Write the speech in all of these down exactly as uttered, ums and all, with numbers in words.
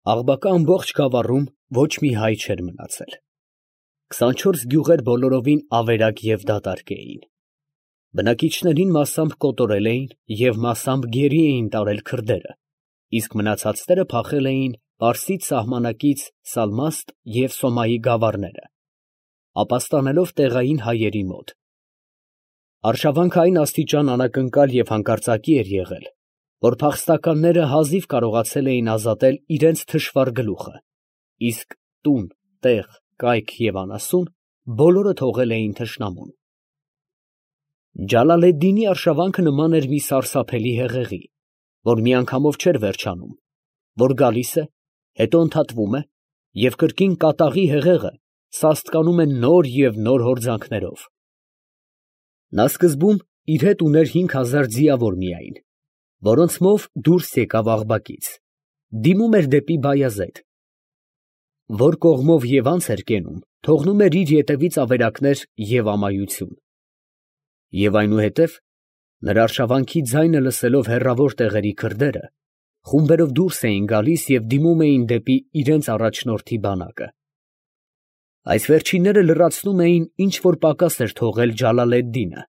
Աղբակա ամբողջ գավառում ոչ մի հայ չէր մնացել. քսանչորս գյուղեր բոլորովին ավերակ և դատարկ էին. բնակիչներին մասամբ կոտորել էին և մասամբ գերի էին տարել քրդերը, իսկ մնացածները փախել էին Պարսից սահմանակից Սալմաստ և Սոմայի գավառները, ապաստանելով տեղային հայերի մոտ. արշավանքը այն աստիճան անակնկալ և հանկարծակի էր եղել, որ փախստականները հազիվ կարողացել էին ազատել իրանց թշվառ գլուխը, իսկ տուն, տեղ, կայք և անասուն բոլորը թողել էին թշնամուն։ Ջալալեդդինի արշավանքը նման էր մի սարսափելի հեղեղի, որ միանգամով չէր վերջանում, որ գալիս է, հետո ընդհատվում է և կրկին կատաղի հեղեղը սաստկանում է նոր և նոր հորձանքներով։ Նա սկզբում իր հետ ուներ հինգ հազար ձիավոր միայն, որոնցմով դուրս եկավ Աղբակից, դիմում էր դեպի Բայազեդ, որ կողմով և անց էր կենում, թողնում էր իր ետևից ավերակներ և ամայություն։ Եվ այնուհետև, նրա արշավանքի ձայնը լսելով հեռավոր տեղերի քրդերը, խումբերով դուրս էին գալիս և դիմում էին դեպի իրանց առաջնորդի բանակը։ Այս վերջինները լրացնում էին, ինչ որ պակաս էր թողել Ջալալեդդինը։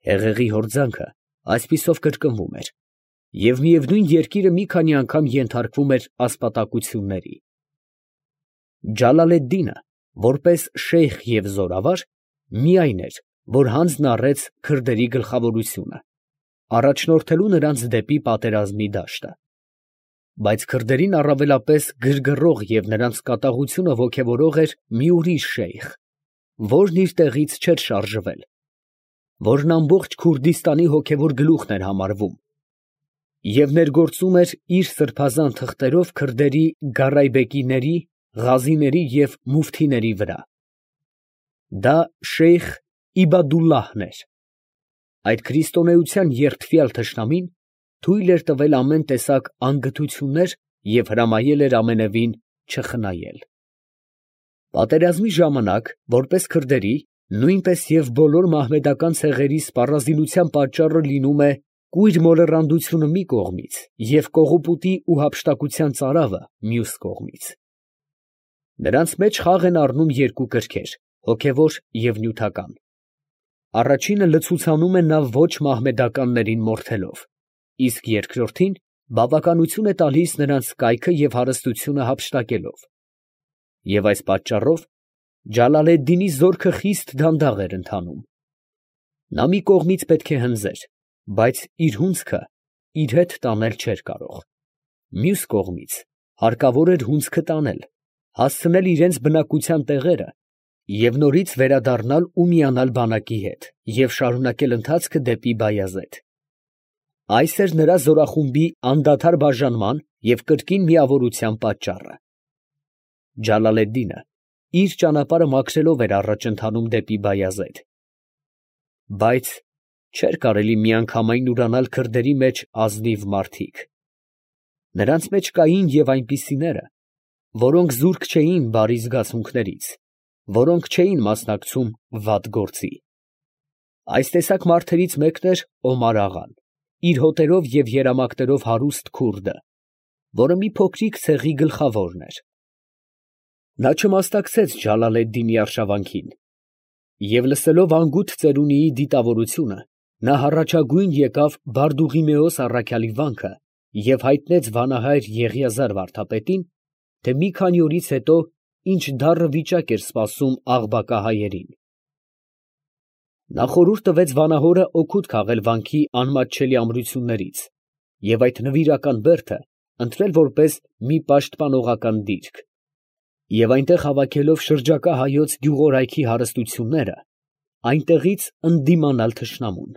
Հեղեղի հորձանքը այսպիսով կրկնվում էր, և միևնույն երկիրը մի քանի անգամ ենթարկվում էր ասպատակությունների։ Ջալալեդդինը, որպես շեյխ և զորավար, միայն էր, որ հանձն առեց քրդերի գլխավորությունը, առաջնորդելու նրանց դեպի պատերազմի դաշտը։ Բայց քրդերին առավելապես գրգռող և նրանց կատաղությունը ոգևորող էր մի ուրիշ շեյխ, որն իր տեղից չէր շարժվել, որն ամբողջ Քուրդիստանի հոգևոր գլուխն էր համարվում և ներգործում էր իր սրբազան թղթերով քրդերի գարայբեկիների, ղազիների և մուֆթիների վրա։ Դա շեյխ Իբադուլլահն էր։ Այդ քրիստոնեության երդվյալ թշնամին թույլ էր տվել ամեն տեսակ անգթություններ և հրամայել էր ամենևին չխնայել։ Պատերազմի ժամանակ, որպես քրդերի, նույնպես և բոլոր մահմեդական ցեղերի սպառազինության պատճառը լինում է կույր մոլեռանդությունը մի կողմից և կողոպուտի ու հափշտակության ծարավը մյուս կողմից։ Նրանց մեջ խաղ են առնում երկու կրքեր՝ հոգևոր և նյութական։ Առաջինը լցուցանում է նա ոչ մահմեդականներին մորթելով, իսկ երկրորդին բավականություն է տալիս նրանց կայքը և հարստությունը հափշտակելով։ Եվ այս պատճառով Ջալալեդդինի զորքը խիստ դանդաղ էր ընթանում։ Նա մի կողմից պետք է հնձեր, բայց իր հունձքը իր հետ տանել չէր կարող. մյուս կողմից հարկավոր էր հունձքը տանել, հասցնել իրանց բնակության տեղերը և նորից վերադառնալ ու միանալ բանակի հետ և շարունակել ընթացքը դեպի Բայազեդ։ Այս էր նրա զորախումբի անդադար բաժանման և կրկին միավորության պատճառը։ Ջալալեդդինը իր ճանապարհը մաքրելով էր առաջ ընթանում դեպի Բայազեդ։ Բայց չէր կարելի միանգամայն ուրանալ քրդերի մեջ ազնիվ մարդիկ. նրանց մեջ կային և այնպիսիները, որոնք զուրկ չէին բարի զգացմունքներից, որոնք չէին մասնակցում վատ գործի։ Այս տեսակ մարդերից մեկն էր Օմար֊աղան, իր հոտերով և երամակներով հարուստ քուրդը, որը մի փոքրիկ ցեղի գլխավորն էր։ Նա չմասնակցեց Ջալալեդդինի արշավանքին, և լսելով անգութ ծերունիի դիտավորությունը, նա հառաջագույն եկավ Բարդուղիմեոս առաքյալի վանքը և հայտնեց վանահայր Եղիազար վարդապետին, թե մի քանի օրից հետո ինչ դառն վիճակ էր սպասում Աղբակա հայերին։ Նա խորհուրդ տվեց վանահորը օգուտ քաղել վանքի անմատչելի ամրություններից և այդ նվիրական բերդը ընտրել որպես մի պաշտպանողական դիրք, և այնտեղ հավաքելով շրջակա հայոց գյուղորայքի հարստությունները, այնտեղից ընդդիմանալ թշնամուն։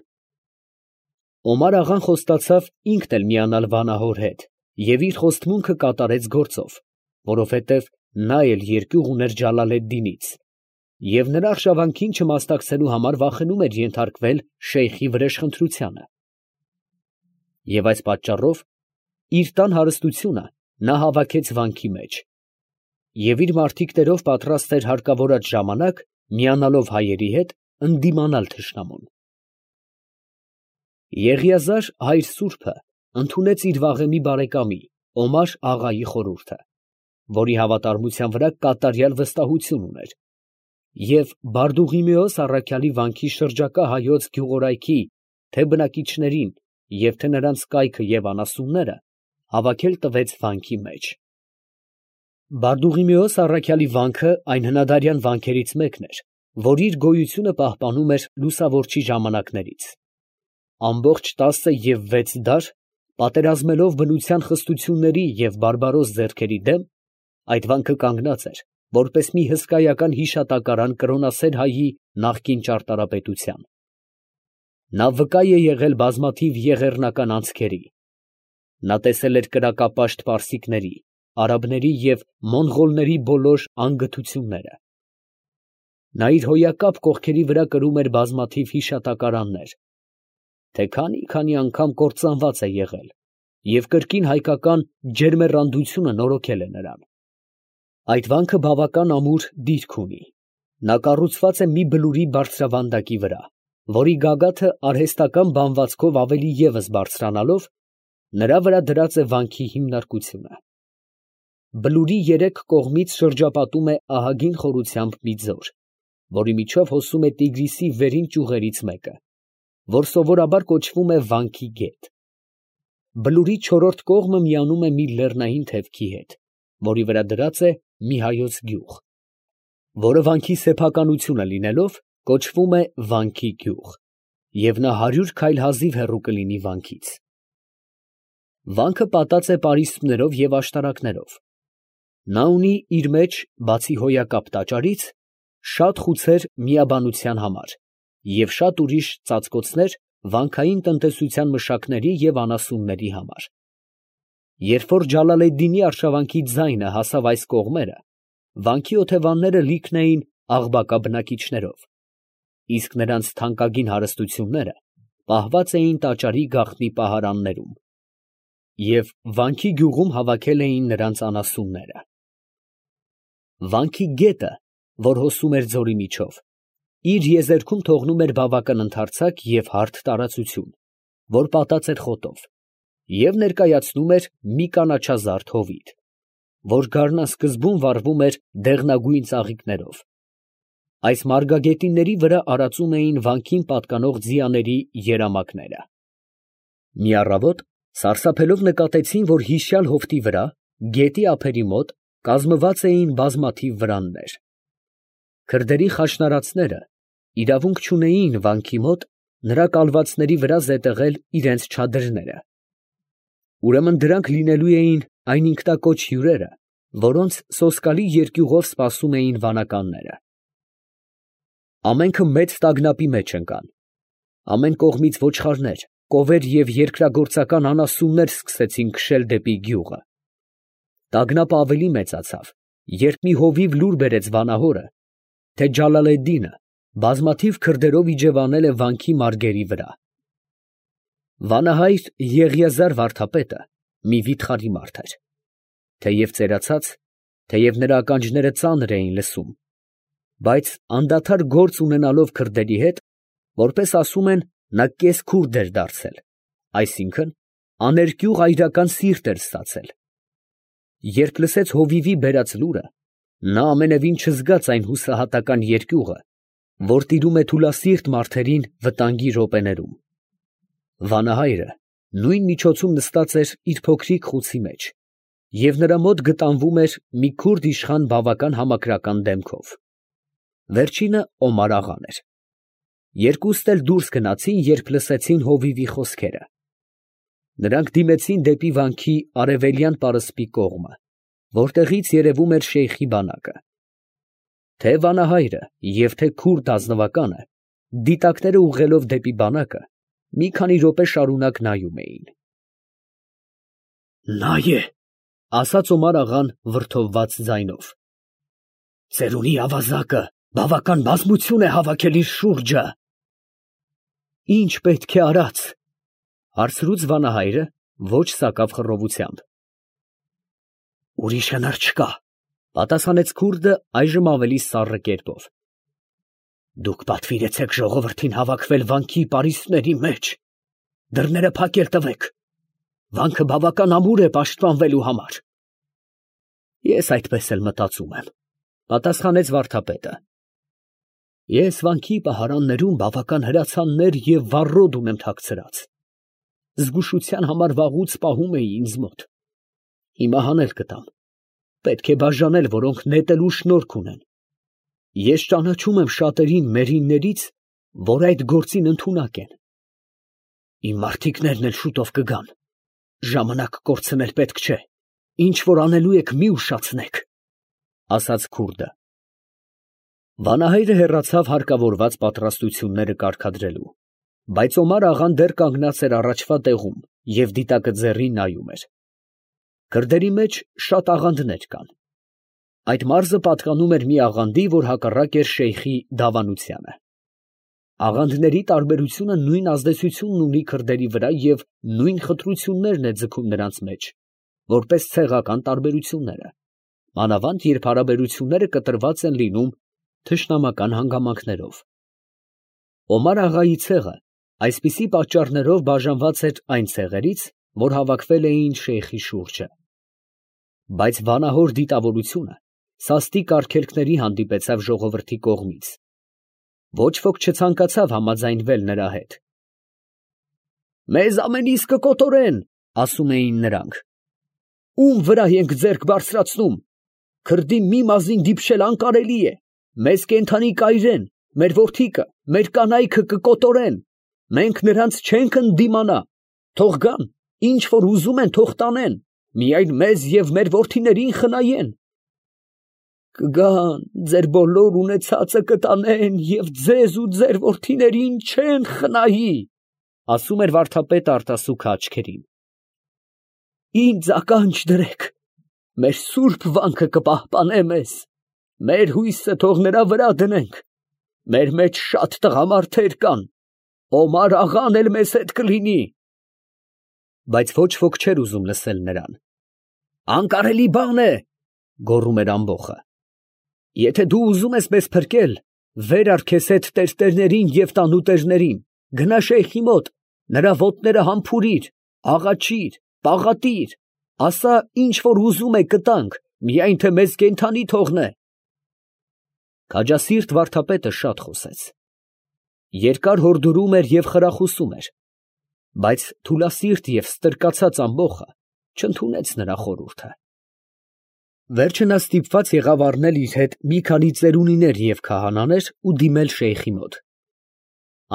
Օմար֊աղան խոստացավ ինքն էլ միանալ վանահոր հետ և իր խոստմունքը կատարեց գործով, որովհետև նա էլ երկյուղ ուներ Ջալալեդդինից և նրա արշավանքին չմասնակցելու համար վախենում էր ենթարկվել շեյխի վրեժխնդրությանը։ Եվ այս պատճառով իր տան հարստությունը նա հավաքեց վանքի մեջ և իր մարդիկներով պատրաստ էր հարկավորած ժամանակ, միանալով հայերի հետ, ընդդիմանալ թշնամուն։ Եղիազար հայր սուրբը ընդունեց իր վաղեմի բարեկամի, Օմար աղայի խորհուրդը, որի հավատարմության վրա կատարյալ վստահություն ուներ, և Բարդուղիմեոս առաքյալի վանքի շրջակա հայոց գյուղորայքի թե՛ բնակիչներին և թե՛ նրանց կայքը և անասունները հավաքել տվեց վանքի մեջ։ Բարդուղիմեոս առաքյալի վանքը այն հնադարյան վանքերից մեկն էր, որ իր գոյությունը պահպանում էր լուսավորչի ժամանակներից։ Ամբողջ տասը և վեց դար, պատերազմելով բնության խստությունների և բարբարոս ձեռքերի դեմ, այդ վանքը կանգնած էր, որպես մի հսկայական հիշատակարան կրոնասեր հայի նախկին ճարտարապետության։ Նա վկա է եղել բազմաթիվ եղեռնական անցքերի. նա տեսել էր կրակապաշտ պարսիկների, արաբների և մոնղոլների բոլոր անգթությունները։ Նա իր հոյակապ կողքերի վրա կրում էր բազմաթիվ հիշատակարաններ, թե քանի՜֊քանի՜ անգամ կործանված է եղել, և կրկին հայկական ջերմեռանդությունը նորոգել է նրան։ Այդ վանքը բավական ամուր դիրք ունի. նա կառուցված է մի բլուրի բարձրավանդակի վրա, որի գագաթը արհեստական բանվածքով ավելի ևս բարձրանալով, նրա վրա դրած է վանքի հիմնարկությունը։ Բլուրի երեք կողմից շրջապատում է ահագին խորությամբ մի ձոր, որի միջով հոսում է Տիգրիսի վերին ճյուղերից մեկը, որ սովորաբար կոչվում է Վանքի գետ։ Բլուրի չորրորդ կողմը միանում է մի լեռնային թևքի հետ, որի վրա դրած է մի հայոց գյուղ, որը վանքի սեփականությունը լինելով, կոչվում է Վանքի գյուղ, և նա հարյուր քայլ հազիվ հեռու կլինի վանքից։ Վանքը պատած է պարիսպներով և աշտարակներով։ Նա ունի իր մեջ, բացի հոյակապ տաճարից, շատ խուցեր միաբանության համար և շատ ուրիշ ծածկոցներ վանքային տնտեսության մշակների և անասունների համար։ Երբ որ Ջալալեդդինի արշավանքի ձայնը հասավ այս կողմերը, վանքի օթևանները լիքն էին Աղբակա բնակիչներով, իսկ նրանց թանկագին հարստությունները պահված էին տաճարի գաղտնի պահարաններում, և Վանքի գյուղում հավաքել էին նրանց անասունները։ Վանքի գետը, որ հոսում էր ձորի միջով, իր եզերքում թողնում էր բավական ընդարձակ և հարթ տարածություն, որ պատած էր խոտով, և ներկայացնում էր մի կանաչազարդ հովիտ, որ գարնան սկզբում վառվում էր դեղնագույն ծաղիկներով։ Այս մարգագետինների վրա արածում էին վանքին պատկանող ձիաների երամակները։ Մի առավոտ սարսափելով նկատեցին, որ հիշյալ հովտի վրա, գետի ափերի մոտ, կազմված էին բազմաթիվ վրաններ։ Քրդերի խաշնարածները իրավունք չունեին վանքի մոտ նրա կալվածների վրա զետեղել իրանց չադրները։ Ուրեմն դրանք լինելու էին այն ինքնակոչ հյուրերը, որոնց սոսկալի երկյուղով սպասում էին վանականները։ Ամենքը մեծ տագնապի մեջ ընկան. ամեն կողմից ոչխարներ, կովեր և երկրագործական անասուններ սկսեցին քշել դեպի գյուղը։ Տագնապը ավելի մեծացավ, երբ մի հովիվ լուր բերեց վանահորը, թե Ջալալեդդինը բազմաթիվ քրդերով իջևանել է վանքի մարգերի վրա։ Վանահայր Եղիազար վարդապետը մի վիթխարի մարդ էր, թեև ծերացած, թեև նրա ականջները ծանր էին լսում, բայց անդադար գործ ունենալով քրդերի հետ, որպես ասում են, նա կես֊քուրդ էր դարձել, այսինքն՝ աներկյուղ այրական սիրտ էր ստացել։ Երբ լսեց հովիվի բերած լուրը, նա ամենևին չզգաց այն հուսահատական երկյուղը, որ տիրում է թուլասիրտ մարդերին վտանգի րոպեներում։ Վանահայրը նույն միջոցում նստած էր իր փոքրիկ խուցի մեջ, և նրա մոտ գտանվում էր մի քուրդ իշխան բավական համակրական դեմքով։ Վերջինը Օմար աղան էր։ Երկուստ էլ դուրս գնացին, երբ լսեցին հովիվի խոսքերը։ Նրանք դիմեցին դեպի վանքի արևելյան պարսպի կողմը, որտեղից երևում էր շեյխի բանակը։ Թե՛ վանահայրը և թե՛ քուրդ ազնվականը, դիտակները ուղղելով դեպի բանակը, մի քանի րոպե շարունակ նայում էին։ ֊ Նա է, ֊ ասաց Օմար աղան վրդովված ձայնով. ֊ ծերունի ավազակը բավական բազմություն է հավաքել իր շուրջը։ ֊ Ի՞նչ պետք է արած, ֊ հարցրուց վանահայրը ոչ սակավ խռովությամբ։ ֊ Ուրիշ հնար չկա, ֊ պատասխանեց քուրդը այժմ ավելի սառն կերպով։ ֊ Դուք պատվիրեցեք ժողովրդին հավաքվել վանքի պարիսպների մեջ, դռները փակել տվեք, Վանքը բավական ամուր է պաշտպանվելու համար։ Ես այդպես էլ մտածում եմ, պատասխանեց վարդապետը։ Ես վանքի պահարաններում բավական հրացաններ և վառոդ ունեմ թաքցրած։ Զգուշության համար վաղուց պահում էի ինձ մոտ։ Հիմա հանել կտամ։ Պետք է բաժանել, որոնք նետելու շնորք ունեն։ Ես ճանաչում եմ շատերին մերիններից, որ այդ գործին ընդունակ են։ Իմ մարդիկներն էլ շուտով կգան։ Ժամանակ կորցնել պետք չէ։ Ինչ որ անելու եք, մի ուշացնեք, ասաց քուրդը։ Վանահայրը հեռացավ հարկավորված պատրաստությունները կարգադրելու, բայց Օմար֊աղան դեռ կանգնած էր առաջվա տեղում և դիտակը ձեռին նայում էր։ Քրդերի մեջ շատ աղանդներ կան։ Այդ մարզը պատկանում էր մի աղանդի, որ հակառակ էր շեյխի դավանությանը։ Աղանդների տարբերությունը նույն ազդեցությունն ունի քրդերի վրա և նույն խտրություններն է ձգում նրանց մեջ, որպես ցեղական տարբերությունները, մանավանդ երբ հարաբերությունները կտրված են լինում թշնամական հանգամանքներով։ Օմար֊աղայի ցեղը այսպիսի պատճառներով բաժանված էր այն ցեղերից, որ հավաքվել էին շեյխի շուրջը։ Բայց վանահոր դիտավորությունը սաստիկ արգելքների հանդիպեցավ ժողովրդի կողմից։ Ոչ ոք չցանկացավ համաձայնվել նրա հետ։ Մեզ ամենիս կկոտորեն, ասում էին նրանք։ Ում վրա ենք ձեռք բարձրացնում։ Քրդի մի մազին դիպչել անկարելի է։ Մեզ կենդանի կայրեն, մեր որդիքը, մեր կանայքը կկոտորեն։ Մենք նրանց չենք ընդդիմանա։ Թող գան, ինչ որ ուզում են, թող տանեն, միայն մեզ և մեր որդիներին խնայեն։ Կգան, ձեր բոլոր ունեցածը կտանեն և ձեզ ու ձեր որդիներին չեն խնայի, ասում էր վարդապետը արտասուքը աչքերին։ Ինձ ականջ դրեք, մեր սուրբ վանքը կպահպանե մեզ, մեր հույսը թող նրա վրա դնենք, մեր մեջ շատ տղամարդեր կան, Օմար֊աղան էլ մեզ հետ կլինի։ Բայց ոչ ոք չէր ուզում լսել նրան։ Անկարելի բան է, գոռում էր ամբոխը։ Եթե դու ուզում ես մեզ փրկել, վեր առ քեզ հետ տերտերներին և տանուտերներին, գնա շեյխի մոտ, նրա ոտները համբուրիր, աղաչիր, պաղատիր, ասա ինչ որ ուզում է կտանք, միայն թե մեզ կենդանի թողնե։ Քաջասիրտ վարդապետը շատ խոսեց։ Երկար հորդորում էր և խրախուսում էր, բայց թուլասիրտ և ստրկացած ամբոխը չընդունեց նրա խորհուրդը։ Վերջը նա ստիպված եղավ առնել իր հետ մի քանի ծերունիներ և քահանաներ ու դիմել շեյխի մոտ։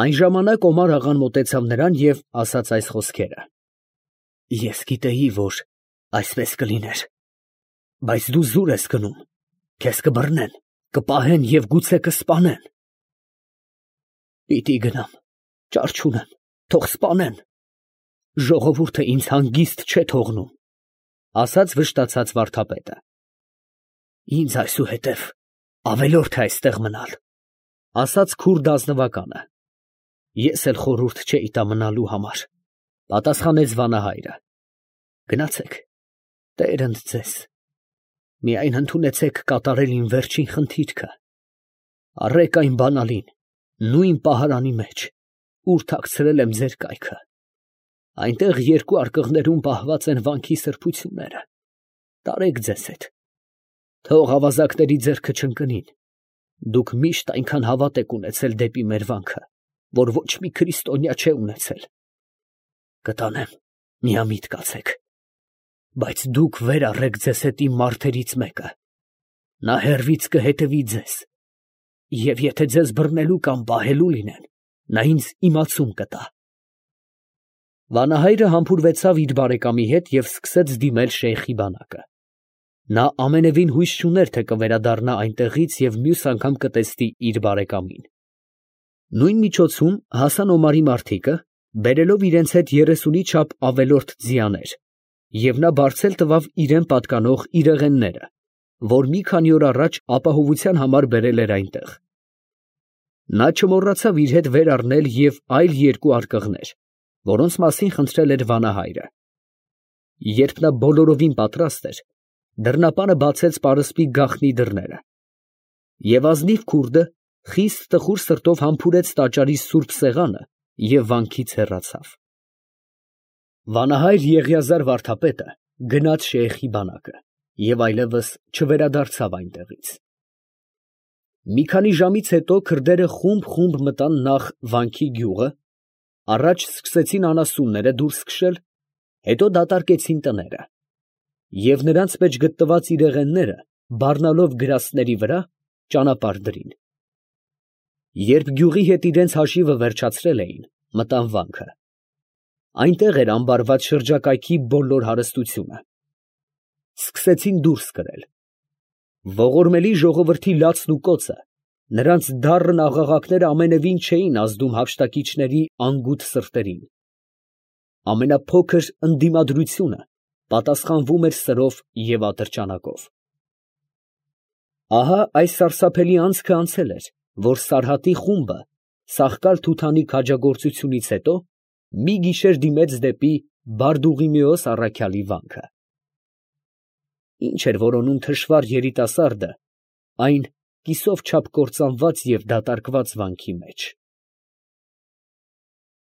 Այն ժամանակ Օմար֊աղան մոտեցավ նրան և ասաց այս խոսքերը. Ես գիտեի, որ այսպես կլիներ, բայց դու զուր ես գնում, քեզ կբռնեն, կպահեն և գուցե կսպանեն։ Պիտի գնամ, ճար չունեմ, թող սպանեն, ժողովուրդը ինձ հանգիստ չէ թողնում, ասաց վշտացած վարդապետը։ Ինձ այսուհետև ավելորդ է այստեղ մնալ, ասաց քուրդ ազնվականը։ Ես էլ խորհուրդ չէի տա մնալու համար, պատասխանեց վանահայրը։ Գնացեք, Տեր ընդ ձեզ, միայն ընդունեցեք կատարել իմ վերջին խնդիրքը, առեք այն բանալին, նույն պահարանի մեջ, ուր թաքցրել եմ ձեր կայքը, այնտեղ երկու արկղներում պահված են վանքի սրբությունները, տարեք ձեզ հետ, թող ավազակների ձեռքը չընկնին, դուք միշտ այնքան հավատ եք ունեցել դեպի մեր վանքը, որ ոչ մի քրիստոնյա չէ ունեցել։ Կտանեմ, միամիտ կացեք, բայց դուք վեր առեք ձեզ հետ իմ մարդերից մեկը, նա հեռվից կհետևի ձեզ, և եթե ձեզ բռնելու կամ պահելու լինեն, նա ինձ իմացում կտա։ Վանահայրը համբուրվեցավ իր բարեկամի հետ և սկսեց դիմել շեյխի բանակը։ Նա ամենևին հույս չուներ, թե կվերադառնա այնտեղից և մյուս անգամ կտեսնի իր բարեկամին։ Նույն միջոցում հասան Օմարի մարդիկը, բերելով իրենց հետ երեսունի չափ ավելորդ ձիաներ, և նա բարձել տվավ իրան պատկանող իրեղենները, որ մի քանի օր առաջ ապահովության համար բերել էր այնտեղ։ Նա չմոռացավ իր հետ վեր առնել և այլ երկու արկղներ, որոնց մասին խնդրել էր վանահայրը։ Երբ նա բոլորովին պատրաստ էր, դռնապանը բացեց պարսպի գաղտնի դռները, և ազնիվ քուրդը խիստ տխուր սրտով համբուրեց տաճարի սուրբ սեղանը և վանքից հեռացավ։ Վանահայր Եղիազար վարդապետը գնաց շեյխի բանակը և այլևս չվերադարձավ այնտեղից։ Մի քանի ժամից հետո քրդերը խումբ֊խումբ մտան նախ «Վանքի գյուղը», առաջ սկսեցին անասունները դուրս քշել, հետո դատարկեցին տները, և նրանց մեջ գտնված իրեղենները բառնալով գրաստների վրա, ճանապարհ դրին։ Երբ գյուղի հետ իրենց հաշիվը վերջացրել էին, մտան վանքը. այնտեղ էր ամբարված շրջակայքի բոլոր հարստությունը։ Սկսեցին դուրս կրել։ Ողորմելի ժողովրդի լացն ու կոծը, նրանց դառն աղաղակները ամենևին չէին ազդում հափշտակիչների անգութ սրտերին։ Ամենափոքր ընդդիմադրությունը պատասխանվում էր սրով և ատրճանակով։ Ահա այս սարսափելի անցքը անցել էր, որ Սարհատի խումբը Սախկալ֊Թութանի քաջագործությունից հետո մի գիշեր դիմեց դեպի Բարդուղիմեոս առաքյալի վանքը։ Ի՞նչ էր որոնում թշվառ երիտասարդը այն կիսով չափ կործանված և դատարկված վանքի մեջ։